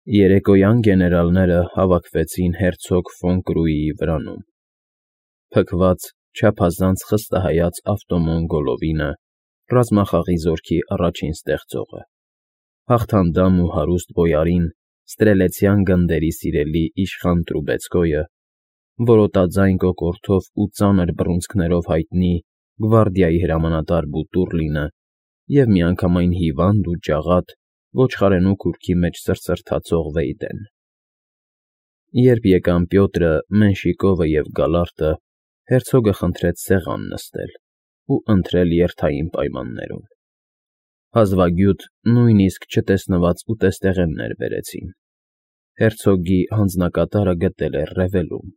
Երեկոյան գեներալները հավաքվեցին հերցոգ ֆոն Կրուիի վրանում, փքված, չափազանց խստահայաց Ավտոմոն Գոլովինը, ռազմախաղի զորքի առաջին ստեղծողը, հաղթանդամ ու հարուստ բոյարին, ստրելեցյան գնդերի սիրելի իշխան Տրուբեցկոյը, որոտաձայն կոկորդով ու ծանր բռունցքներով հայտնի գվարդիայի հրամանատար Բուտուռլինը և միանգամայն հիվանդ ու ջաղատ, ոչխարենու քուրքի մեջ սրսրթացող Վեյդեն։ Երբ եկան Պյոտրը, Մենշիկովը և Գալարտը, հերցոգը խնդրեց սեղան նստել ու ընթրել երթային պայմաններում։ Հազվագյուտ, նույնիսկ չտեսնված ուտեստեղեններ բերեցին։ Հերցոգի հանձնակատարը գտել էր Ռևելում։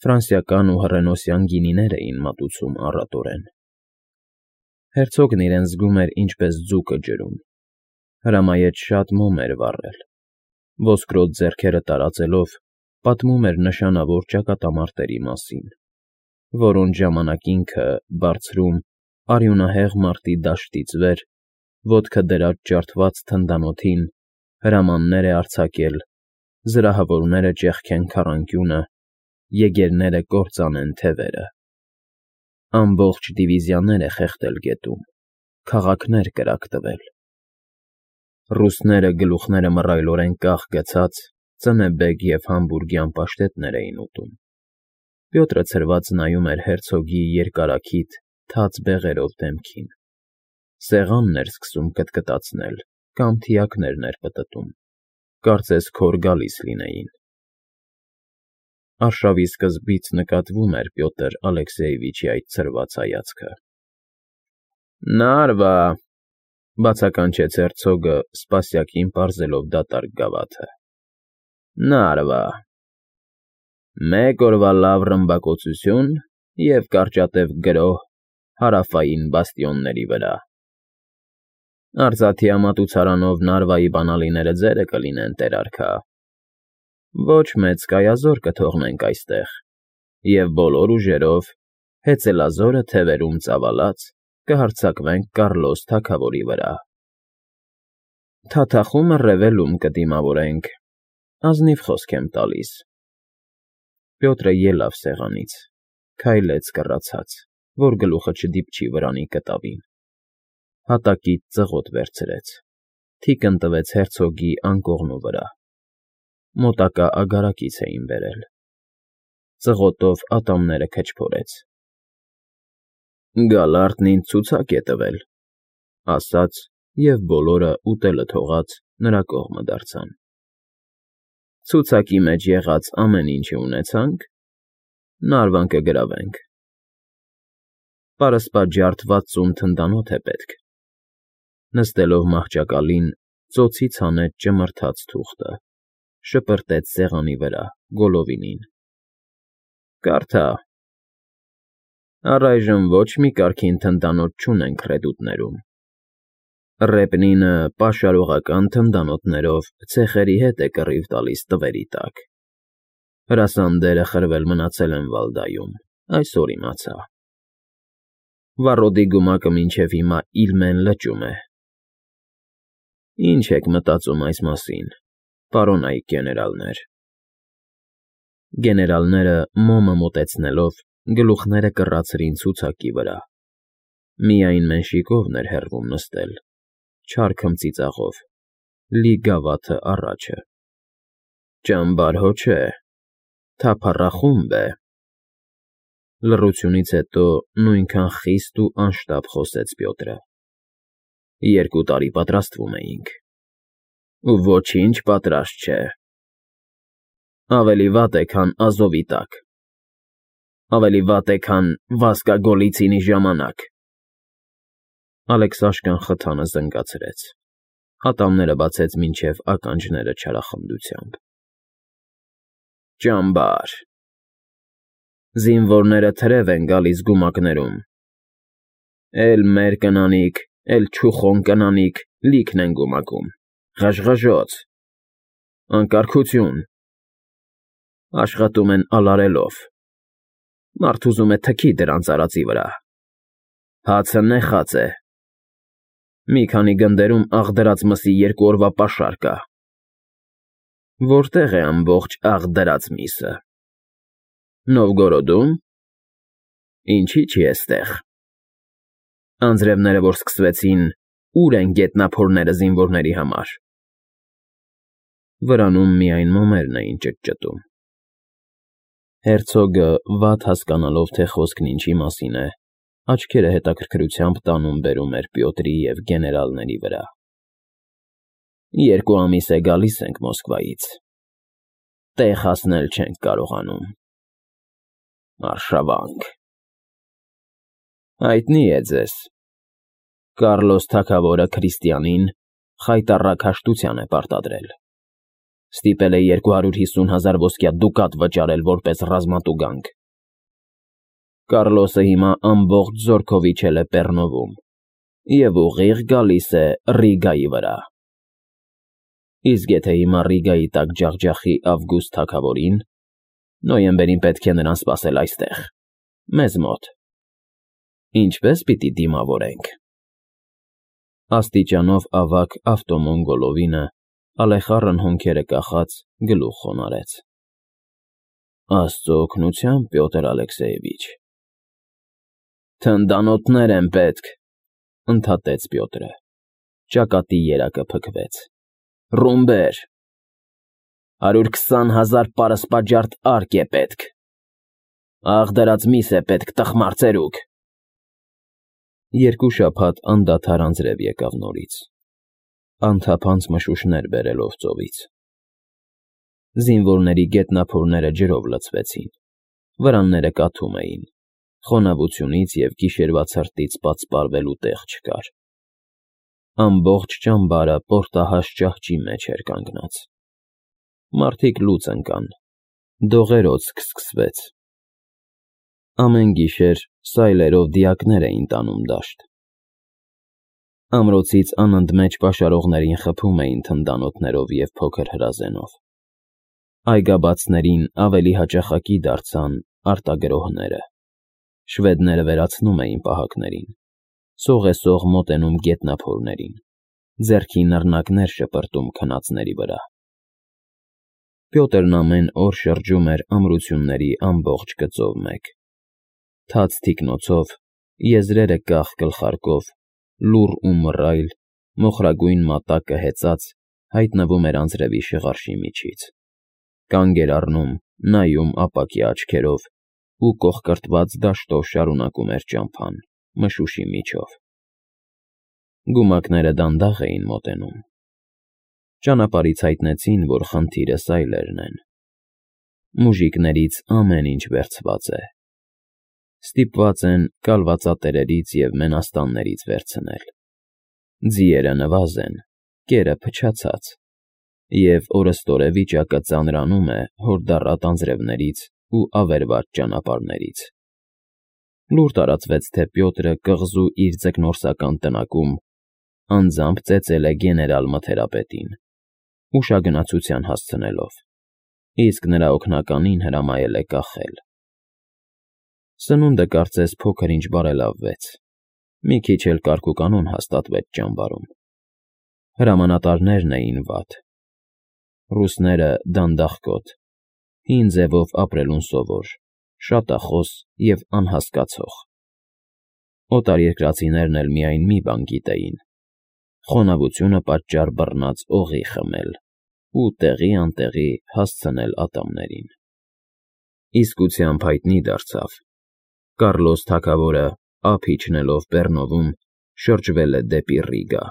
Ֆրանսիական ու հռենոսյան գինիներ էին մատուցում առատորեն։ Հերցոգն իրեն զգում էր ինչպես ձուկը ջրում։ Հրամայեց շատ մոմ էր վառել։ Ոսկրոտ ձեռքերը տարածելով, պատմում էր նշանավոր ճակատամարտերի մասին, որոնց ժամանակ ինքը, բարձրում, արյունահեղ մարտի դաշտից վեր, ոտքը դրած ջարդված թնդանոթին, հրամաններ է արձակել, զրահավորները ճեղքեն քառանկյունը, եգերները կործանեն թևերը։ Ամբողջ դիվիզիաներ է խեղդել գետում, քաղաքներ կրակ տվել։ Ռուսները գլուխները մռայլորեն կախ գցած, ծնեբեգ և համբուրգյան պաշտետներ էին ուտում։ Պյոտրը ցրված նայում էր հերցոգի երկարաքիթ, թաց բեղերով դեմքին։ Սեղանն էր սկսում կտկտացնել կամ թիակներն էր պտտում, կարծես քոր գալիս լինեին։ Արշավի սկզբից նկատվում էր Պյոտր Ալեքսեևիչի այդ ցրված հայացքը։ «Նարվա», բացականչեց հերցոգը, սպասյակին պարզելով դատարկ գավաթը։ «Նարվա։ Մեկ օրվա լավ ռմբակոծություն և կարճատև գրոհ հարավային բաստիոնների վրա։ Արծաթյա մատուցարանով Նարվայի բանալիները ձերը կլինեն, տեր֊արքա։ Ոչ մեծ կայազոր կթողնենք այստեղ, և բոլոր ուժերով, հեծելազորը թևերում ծավալած, կհարձակվենք Կառլոս թագավորի վրա։ Թաթախումը Ռևելում կդիմավորենք, ազնիվ խոսք եմ տալիս»։ Պյոտրը ելավ սեղանից, քայլեց կռացած, որ գլուխը չդիպչի վրանի կտավին։ Հատակից ծղոտ վերցրեց, թիկն տվեց հերցոգի անկողնու վրա։ Մոտակա ագարակից էին բերել։ Ծղոտով ատամները քչփորեց։ «Գալարտն ինձ ցուցակ է տվել», ասաց և բոլորը, ուտելը թողած, նրա կողմը դարձան։ «Ցուցակի մեջ եղած ամեն ինչը ունեցանք, Նարվան կգրավենք։ Պարսպա ջարդված ծում թնդանոթ է պետք»։ Նստելով մահճակալին, ծոցից հանեց ճմրթաց թուղթը, շպրտեց սեղանի վրա, Գոլովինին։ «Կարդա։ Առայժմ ոչ մի կարգին թնդանոթ չունենք ռեդուտներում։ Ռեպնինը պաշարողական թնդանոթներով ցեխերի հետ է կռիվ տալիս տվերի տակ։ Հրասանդերը խրվել մնացել են Վալդայում, այսօր իմացա։ Վառոդի գումակը մինչև հիմա Իլմեն լճում է։ Ինչ եք մտածում այս մասին, պարոնայք գեներալներ»։ Գեներալները, մոմը մոտեցնելով, գլուխները կռացրին ցուցակի վրա։ Միայն Մենշիկովն էր հեռվում նստել, չար քմծիծաղով, լի գավաթը առաջը։ «Ճամբար հո չէ, թափառախումբ է»։ Լռությունից հետո նույնքան խիստ ու անշտապ խոսեց Պյոտրը։ 2 տարի պատրաստվում էինք, ու ոչինչ պատրաստ չէ։ Ավելի վատ է, քան Ազովի տակ։ Ավելի վատ է, քան Վասկա Գոլիցինի ժամանակ։ Ալեքսաշկան խթանը զնգացրեց, ատամները բացեց մինչև ականջները չարախնդությամբ։ «Ճամբար։ Զինվորները թրև են գալիս գումակներում։ Էլ մեր կնանիք, էլ չուխոն կնանիք լիքն են գումակում, ղժղժոց, անկարգություն։ Աշխատում են ալարելով։ Մարդ ուզում է թքի դրանց արածի վրա։ Հացը նեխած է։ Մի քանի գնդերում աղդրած մսի 2 օրվա պաշար կա։ Որտեղ է ամբողջ աղ միսը։ Նովգորոդում։ Ինչի՞ չի էստեղ։ Անձրևները, որ սկսվեցին, ուր են գետնափորները զինվորների համար։ Վրանում միայն մոմերն էին ճտճտում։ Հերցոգը, վատ հասկանալով, թե խոսքն ինչի մասին է, աչքերը հետաքրքրությամբ տանում֊բերում էր Պյոտրի և գեներալների վրա։ 2 ամիս է գալիս ենք Մոսկվայից։ Տեղ հասնել չենք կարողանում։ Արշավանք։ Հայտնի է ձեզ։ Կառլոս թագավորը Քրիստիանին խայտառակ հաշտության է պարտադրել։ Ստիպել է 250,000 ոսկյա դուկատ վճարել որպես ռազմատուգանք։ Կառլոսը հիմա ամբողջ զորքով իջել է Պեռնովում և ուղիղ գալիս է Ռիգայի վրա։ Իսկ եթե հիմա Ռիգայի տակ ջախջախի Ավգուստ թագավորին, նոյեմբերին պետք է նրան սպասել այստեղ, մեզ մոտ։ Ինչպե՞ս պիտի դիմավորենք։ Աստիճանով ավագ Ավտոմոն-Գոլովինը, ալեխառն հոնքերը կախած, գլուխ խոնարհեց։ Աստծո օգնությամբ, Պյոտր Ալեքսեյևիչ։ Թնդանոթներ են պետք, ընդհատեց Պյոտրը։ Ճակատի երակը փքվեց։ Ռումբեր։ 120,000 պարսպաջարդ արկ է պետք։ Աղ դրած միս է պետք, տխմար ծերուկ։ 2 շաբաթ անդադար անձրև եկավ նորից, անթափանց մշուշներ բերելով ծովից։ Զինվորների գետնափորները ջրով լցվեցին, վրանները կաթում էին, խոնավությունից և գիշերվա ցրտից պատսպարվելու տեղ չկար։ Ամբողջ ճամբարը պորտահաշ ճահճի մեջ էր կանգնած։ Մարդիկ լուծ ընկան, դողերոց սկսվեց։ Ամեն գիշեր սայլերով դիակներ էին տանում դաշտ։ Ամրոցից անընդմեջ պաշարողներին խփում էին թնդանոթներով և փոքր հրազենով։ Այգաբացներին ավելի հաճախակի դարձան արտագրոհները։ Շվեդները վերացնում էին պահակներին, սողեսող մոտենում գետնափորներին, ձեռքի նռնակներ շպրտում քնածների վրա։ Պյոտրն ամեն օր շրջում էր ամրությունների ամբողջ գծով մեկ։ Թաց թիկնոցով, եզրերը կախ գլխարկով, լուռ ու մռայլ, մոխրագույն մատակը հեծած հայտնվում էր անձրևի շղարշի միջից։ Կանգ էր առնում, նայում ապակյա աչքերով ու կոխկրտված դաշտով շարունակում էր ճամփան, մշուշի միջով։ Գումակները դանդաղ էին մոտենում։ Ճանապարհից հայտնեցին, որ խնդիրը սայլերն են։ Մուժիկներից ամեն ինչ վերցված է։ Ստիպված են կալվածատերերից և մենաստաններից վերցնել։ Ձիերը նվազ են, կերը փչացած, և օրըստօրե վիճակը ծանրանում է հորդառատ անձրևներից ու ավերված ճանապարհներից։ Լուր տարածվեց, թե Պյոտրը կղզու իր ձկնորսական տնակում անձամբ ծեծել է գեներալ մթերապետին, ուշագնացության հասցնելով, իսկ նրա օգնականին հրամայել է կախել։ Սնունդը կարծես փոքր-ինչ բարելավվեց, մի քիչ էլ կարգուկանոն հաստատվեց ճամբարում։ Հրամանատարներն էին վատ։ Ռուսները դանդաղկոտ, հին ձևով ապրելուն սովոր, շատախոս և անհասկացող։ Օտարերկրացիներն էլ միայն մի բան գիտեին՝ խոնավությունը պատճառ բռնած օղի խմել ու տեղի֊անտեղի հասցնել ատամներին։ Իսկությամբ հայտնի դարձավ. Կառլոս թագավորը, ափ իջնելով Պեռնովում, շրջվել է դեպի Ռիգա։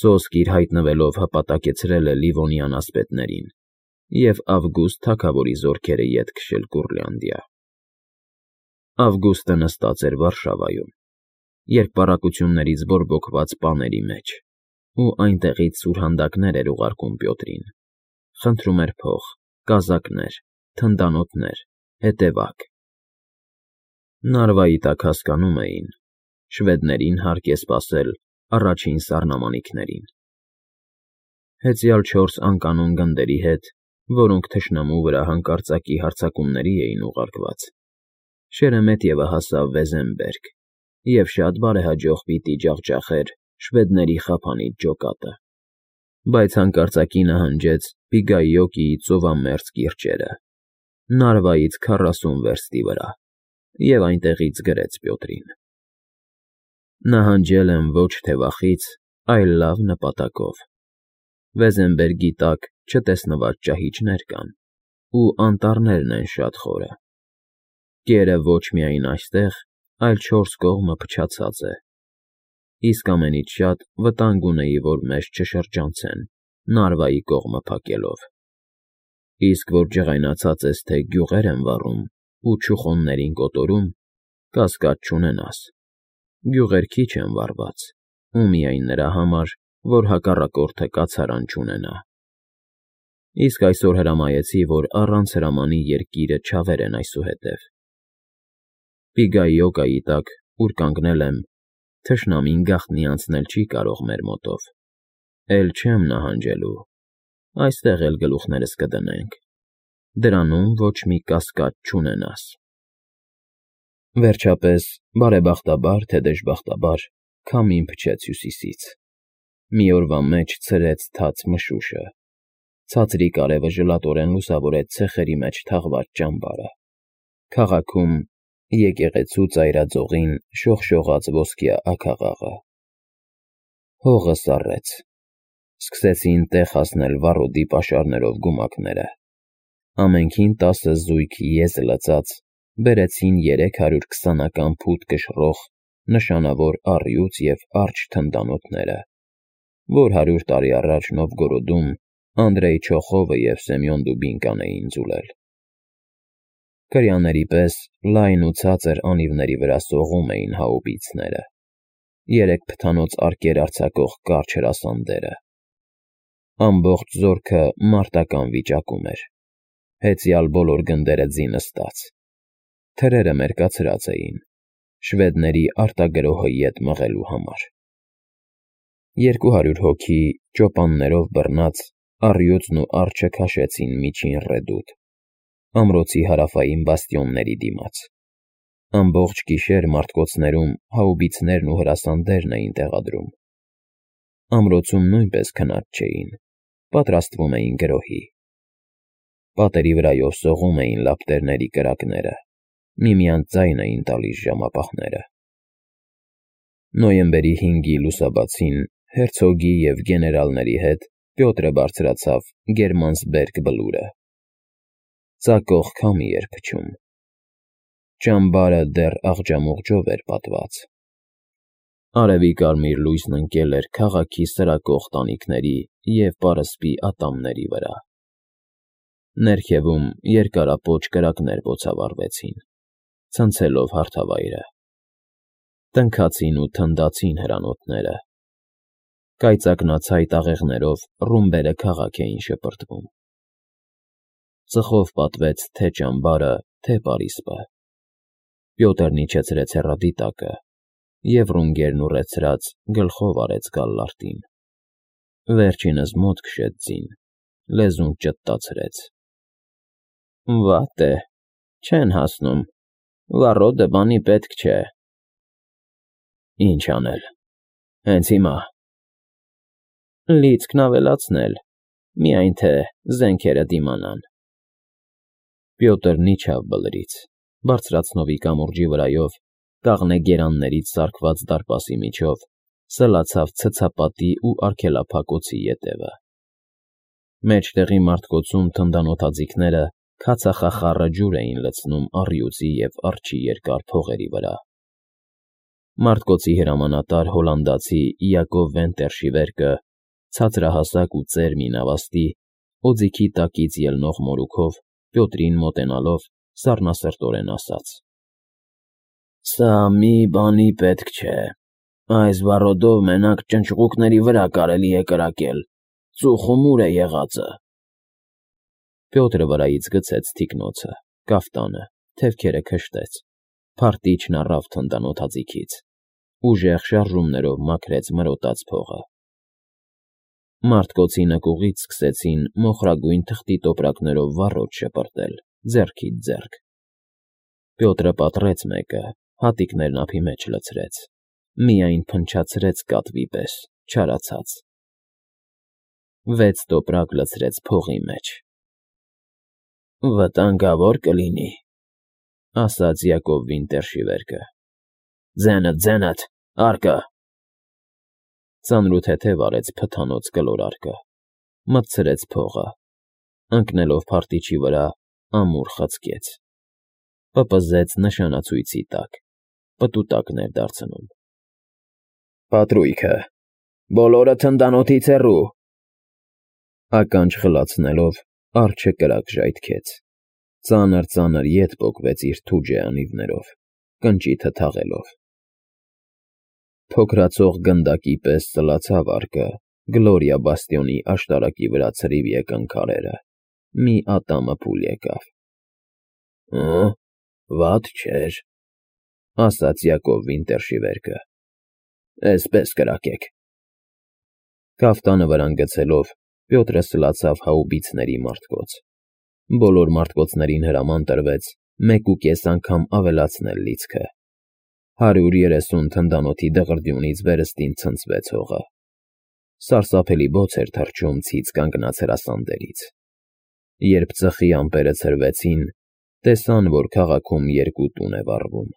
Սոսկ իր հայտնվելով հպատակեցրել է Լիվոնյան ասպետներին և Ավգուստ թագավորի զորքերը ետ քշել Կուրլանդիա։ Ավգուստը նստած էր Վարշավայում, երկպառակություններից բորբոքված պաների մեջ, ու այնտեղից սուրհանդակներ էր ուղարկում Պյոտրին, խնդրում էր փող, կազակներ, թնդանոթներ, հետևակ։ Նարվայի տակ հասկանում էին, շվեդներին հարկ է սպասել առաջին սառնամանիքներին։ Հեծյալ 4 անկանոն գնդերի հետ, որոնք թշնամու վրա հանկարծակի հարձակումների էին ուղարկված, Շերեմետյևը հասավ Վեզեմբերգ և շատ բարեհաջող պիտի ջախջախեր շվեդների խափանիչ ջոկատը։ բայց հանկարծակի նահանջեց Պիգայոկիի ծովամերձ կիրճերը, Նարվայից 40 վերստի վրա, և այնտեղից գրեց Պյոտրին. «Նահանջել եմ ոչ թե վախից, այլ լավ նպատակով. Վեզենբերգի տակ չտեսնված ճահիճներ կան, ու անտառներն են շատ խորը. կերը ոչ միայն այստեղ, այլ 4 կողմը փչացած է, իսկ ամենից շատ վտանգ ունեի, որ մեզ չշրջանցեն, Նարվայի կողմը փակելով. իսկ որ ջղայնացած ես, թե գյուղեր եմ վառում ու չուխոններին կոտորում, կասկած չունենաս, գյուղեր քիչ են վառված, ու միայն նրա համար, որ հակառակորդը կացարան չունենա։ Իսկ այսօր հրամայեցի, որ առանց հրամանի երկիրը չավերեն այսուհետև։ Պիգայոկայի տակ, ուր կանգնել եմ, թշնամին գաղտնի անցնել չի կարող մեր մոտով, էլ չեմ նահանջելու, այստեղ էլ գլուխներս կդնենք, դրանում ոչ մի կասկած չունենաս»։ Վերջապես, բարեբախտաբար թե դժբախտաբար, քամին փչեց հյուսիսից, մի օրվա մեջ ցրեց թաց մշուշը, ցածրիկ արևը ժլատորեն լուսավորեց ցեխերի մեջ թաղված ճամբարը, քաղաքում եկեղեցու ծայրածովին շողշողաց ոսկյա աքաղաղը։ Հողը սառեց, սկսեցին տեղ հասնել վառոդի պաշարներով գումակները, ամենքին 10 զույգ եզ լծած բերեցին 320-ական փութ կշռող նշանավոր առյուծ և արջ թնդանոթները, որ 100 տարի առաջ Նովգորոդում Անդրեյ Չոխովը և Սեմյոն Դուբինկան էին ձուլել։ Կրյաների պես լայն ու ցածր անիվների վրա սողում էին հաուբիցները, 3 փթանոց արկեր արձակող կարճ հրասանդերը։ Ամբողջ զորքը մարտական վիճակում էր, հեծյալ բոլոր գնդերը ձինստած, թրերը մերկացրած էին, շվեդների արտագրոհը ետ մղելու համար։ 200 հոգի ճոպաններով բռնած առյուծն ու արջը քաշեցին միջին ռեդուտ, ամրոցի հարավային բաստիոնների դիմաց։ Ամբողջ գիշեր մարտկոցներում հաուբիցներն ու հրասանդերն էին տեղադրում։ Ամրոցում նույնպես քնած չէին, պատրաստվում էին գրոհի։ Պատերի վրայով սողում էին լապտերների կրակները, միմյանց ձայն էին տալիս ժամապահները։ Նոյեմբերի 5-ի լուսաբացին հերցոգի և գեներալների հետ Պյոտրը բարձրացավ Գերմանսբերգ բլուրը։ Ծակող քամի էր փչում։ Ճամբարը դեռ աղջամուղջով էր պատված։ Արևի կարմիր լույսն ընկել էր քաղաքի սրակող տանիքների և պարսպի ատամների վրա։ Ներքևում երկարապոչ կրակներ բոցավառվեցին, ցնցելով հարթավայրը։ Տնքացին ու թնդացին հրանոթները։ Կայծակնացայ տաղեղներով ռումբերը քաղաք էին շպրտվում։ Ծխով պատվեց թե ճամբարը, թե պարիսպը։ Պյոտրն իջեցրեց հեռադիտակը և ռունգերն ուռեցրած գլխով արեց գալլարտին։ Վերջինս մոտ քշեց ձին, լեզուն ճտտացրեց։ Վատ է, չեն հասնում, վառոդը բանի պետք չէ։ Ինչ անել, հենց հիմա։ Լիցքն ավելացնել, միայն թե զենքերը դիմանան։ Պյոտրն իջավ բլրից, բարձրացնովի կամուրջի վրայով, կաղնե գերաններից սարքված դարպասի միջով, սլացավ ցցապատի ու արգելափակոցի ետևը։ Մեջտեղի մարտկոցում թնդանոթաձիգները քացախախառը ջուր էին լցնում առյուծի և արջի երկար փողերի վրա։ Մարտկոցի հրամանատար հոլանդացի Յակով Վենտերշի վերքը, ցածրահասակ ու ծեր մի նավաստի, օձիքի տակից ելնող մորուքով, Պյոտրին մոտենալով, սառնասրտորեն ասաց. «Սա մի բանի պետք չէ, այս վառոդով մենակ ճնճղուկների վրա կարելի է կրակել, ծուխում ուր է եղածը»։ Պյոտրը վրայից գցեց թիկնոցը, կաֆտանը, թևքերը քշտեց, փարթիչն առավ թնդանոթաձիգից, ուժեղ շարժումներով մաքրեց մրոտած փողը։ Մարտկոցի նկուղից սկսեցին մոխրագույն թղթի տոպրակներով վառոդ շպրտել, ձեռքից ձեռք։ Պյոտրը պատռեց մեկը, հատիկներն ափի մեջ լցրեց, միայն փնչացրեց կատվի պես, չարացած։ 6 տոպրակ լցրեց փողի մեջ։ Վտանգավոր կլինի, ասաց Յակով Վինտերշիվերկը։ Ձենդ, արկա։ Ծանրութեթև արեց փթանոց կլոր արկը, մտցրեց փողը, ընկնելով փարտիչի վրա ամուր խցկեց, պպզեց նշանացույցի տակ, պտուտակներ դարձնում։ Պատրույգը, բոլորը թնդանոթից հեռու։ Ականջ խլացնելով արջը կրակ ժայթքեց, ծանր ետ պոկվեց իր թուջե անիվներով, կնճիթը թաղելով։ Փոքրացող գնդակի պես ծլացավ արկը Գլորիա բաստիոնի աշտարակի վրա ցրիվ եկան քարերը, մի ատամը փուլ եկավ։ Վատ չէր, ասաց Յակով Վինտերշիվերկը։ Էսպես կրակեք։ Կաֆտանը վրան գցելով Պյոտրը սլացավ հաուբիցների մարտկոց։ Բոլոր մարտկոցներին հրաման տրվեց 1.5 անգամ ավելացնել լիցքը։ 130 թնդանոթի դղրդյունից վերստին ցնցվեց հողը։ Սարսափելի բոց էր թռչում ցից կանգնած հրասանդերից։ Երբ ծխի ամպերը ցրվեցին, տեսան, որ քաղաքում 2 տուն է վառվում։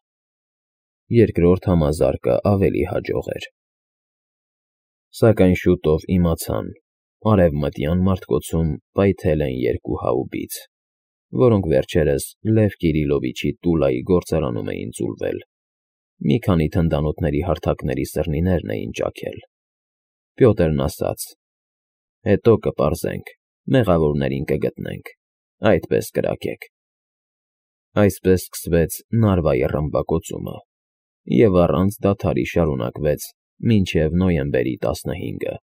Երկրորդ համազարկը ավելի հաջող էր։ Սակայն շուտով իմացան, արևմտյան մարտկոցում պայթել են 2 հաուբից, որոնք վերջերս Լև Կիրիլովիչի Տուլայի գործարանում էին ձուլվել։ Մի քանի թնդանոթների հարթակների սրնիներն էին ճաքել։ Պյոտրն ասաց. Հետո կպարզենք, մեղավորներին կգտնենք, այդպես կրակեք։ Այսպես սկսվեց Նարվայի ռմբակոծումը, և առանց դադարի շարունակվեց մինչև նոյեմբերի 15-ը։